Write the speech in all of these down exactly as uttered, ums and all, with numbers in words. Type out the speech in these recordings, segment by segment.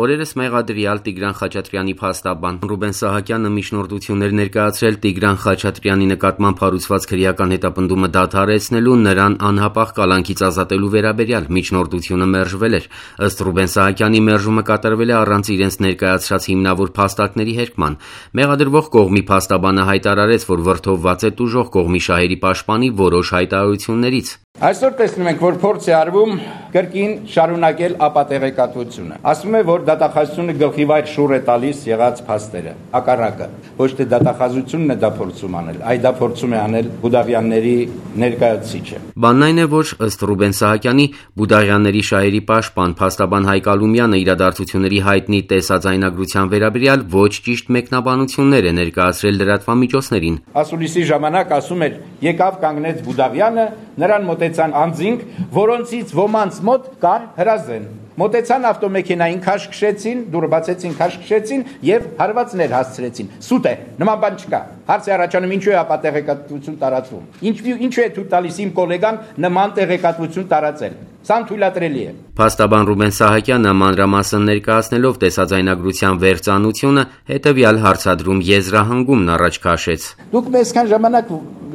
Օրերս մեղադրյալ Տիգրան Խաչատրյանի փաստաբան Ռուբեն Սահակյանը միջնորդություններ ներկայացրել Տիգրան Խաչատրյանի նկատմամբ հարուցված քրեական հետապնդումը դադարեցնելու, նրան անհապաղ կալանքից ազատելու վերաբերյալ միջնորդությունը մերժվել էր։ Ըստ Ռուբեն Սահակյանի, մերժումը կատարվել է առանց իրենց ներկայացրած հիմնավոր փաստարկների հերկման։ Մեղադրվող կողմի փաստաբանը հայտարարեց, որ վրդովված է տուժող կողմի շահերի պաշտպանի որոշ հայտարարություններից։ Այսօր տեսնում ենք, որ փորձ է արվում կրկին շարունակել ապատեղեկատվությունը։ Ասում է, որ դատախազությունը գլխիվայր շուռ է տալիս եղած փաստերը։ Հակառակը, ոչ թե դատախազությունն է դա փորձում անել, այլ դա փորձում է անել Բուդաղյանների ներկայացուցիչը։ Բանն այն է, որ ըստ Ռուբեն Սահակյանի, Բուդաղյանների շահերի պաշտպան փաստաբան Հայկ Ալումյանը իրադարձությունների հայտնի տեսաձայնագրության վերաբերյալ ոչ ճիշտ մեկնաբանություններ է ներկայացրել լրատվամիջոցներին։ Ասուլիսի ժամանակ ասում էր՝ եկավ կանգնեց Բուդաղյանը, նրան մոտեցան անձինք, որոնցից ոմանց մոտ կար հրազեն։ Մոտեցան ավտոմեքենային քաշքշեցին, դուռը բացեցին, քաշքշեցին եւ հարվածներ հասցրեցին։ Սուտ է, նման բան չկա։ Հարց է առաջանում, ինչու է ապատեղեկատվություն տարածվում։ Ինչու ինչու է թույլ տալիս իմ գոլեգան նման տեղեկատվություն տարածել։ Սա թույլատրելի է։ Փաստաբան Ռուբեն Սահակյանը մանրամասն ներկայացնելով տեսաձայնագրության վերծանությունը հետևյալ հարցադրում եզրահանգումն առաջ քաշեց։ Դուք մեզքան ժամանակ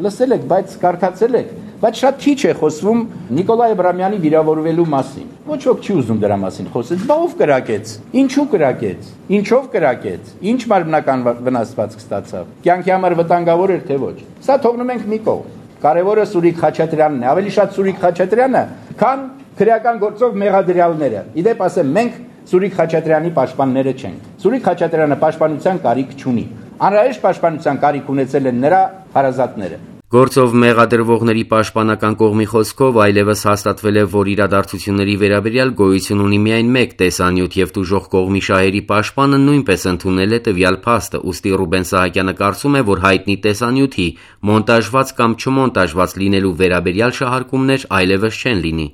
լսել եք, բայց կարկացել եք, բայց շատ քիչ է խոսվում Նիկոլայ Աբրամյանի վիրավորվելու մասին։ Ոչ ոք չի ուզում դրա մասին խոսել։ Բա ով կրակեց։ Ինչու կրակեց։ Ինչով կրակեց։ Ինչ մարմնական վնասվածք ստացավ։ Կյանքի համար վտանգավոր էր թե ոչ։ Սա թողնում ենք մի կողմ։ Կարևորը Սուրիկ Խաչատրյանն է, ավելի շատ Սուրիկ Խաչատրյանը, քան քրեական գործով մեղադրյալները։ Իդեպ ասեմ, մենք Սուրիկ Խաչատրյանի պաշտպանները չենք։ Սուրիկ Խաչատրյանը պաշտպանության կարիք չունի։ Անհրաժեշտ պաշտպանության կարիք ունեցել են նրա հարազատները։ Գործով մեղադրվողների պաշտպանական կողմի խոսքով այլևս հաստատվել է, որ իրադարձությունների վերաբերյալ գոյություն ունի միայն մեկ տեսանյութ եւ տուժող կողմի շահերի պաշտպանը նույնպես ընդունել է տվյալ փաստը, ուստի Ռուբեն Սահակյանը կարծում է, որ հայտնի տեսանյութի մոնտաժված կամ չմոնտաժված լինելու վերաբերյալ շահարկումներ այլևս չեն լինի։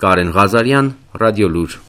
Կարեն Ղազարյան, Ռադիոլուր։